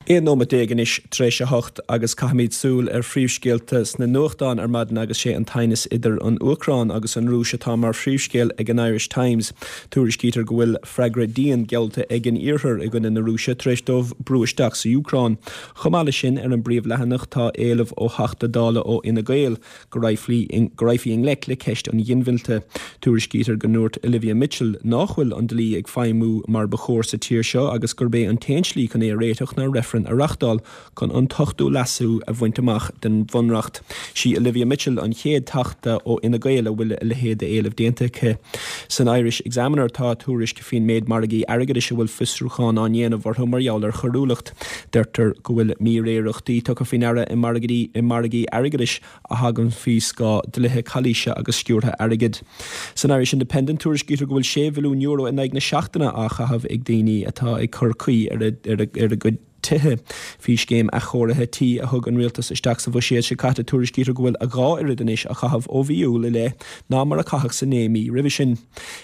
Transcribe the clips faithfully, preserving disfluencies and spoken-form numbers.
Aon nóiméad déag anois tar éis a hocht agus caithfimid súil ar phríomhscéalta sna nuachtáin ar maidin agus sé an t-aighneas idir an Úcráin agus an Rúis atá mar phríomhscéal ag an Irish Times. Tuairiscítear go bhfuil freagra dian geallta ag an Iarthar i gcoinne na Rúise tar éis dóibh brú isteach sa Úcráin. Chomh maith leis sin ar an bpríomhleathanach tá éileamh ó Theachta Dála ó Fhine Gael go raghfaí i ngleic le ceist an ghinmhillte. Tuairiscítear go ndúirt Olivia Mitchell nach bhfuil an dlí ag feidhmiú mar ba chóir sa tír seo agus gurb é an t-aon slí chun é a réiteach ná reifreann a reáchtáil chun an t-ochtú leasú a bhaint amach den bhunreacht. Sí Olivia Mitchell an chéad teachta ó Fhine Gael a bhfuil a leithéid d'éileamh déanta aici. San Irish Examiner tá tuairisc faoin méid margaí airgeadais a bhfuil fiosrúchán á ndéanamh orthu mar gheall ar choiriúlacht. Deirtear go bhfuil míréireachtaí tugtha faoi deara i margaí i margaí airgeadais a thagann faoi scáth dlíthe calaoise agus sciúrtha airgid. San Irish Independent tuairiscítear go bhfuil sé mhilliún euro in aghaidh na seachtaine á chaitheamh ag daoine atá ag cur caoi ar a, ar a, ar a gcuid tithe. Faoi scéim athchóirithe tí a thug an rialtas isteach sa bhuiséad seo caite tuairiscítear go bhfuil a dhá oiread anois á chaitheamh ó mhí Iúil i leith ná mar a caitheadh sa naoi mí roimhe sin.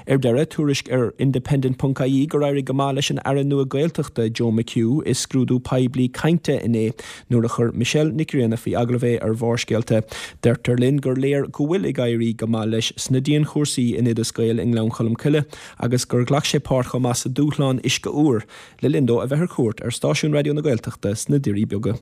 Ar deireadh tuairisc ar Independent.ie gur éirigh go maith leis an Aire nua Gaeltachta Joe McHugh i scrúdú poiblí cainte inné nuair a chuir Michelle Nic Grianna faoi agallamh é ar Bharrscéalta. Deirtear linn gur léir go bhfuil ag éirí go maith leis sna dianchúrsaí in Oideas Gael i nGleann Cholm Cille agus gur ghlac sé páirt chomh maith sa dúshlán uisce úr le linn dó a bheith ar cuairt ar stáisiún Raidió na Gaeltachta sna Doirí Beaga.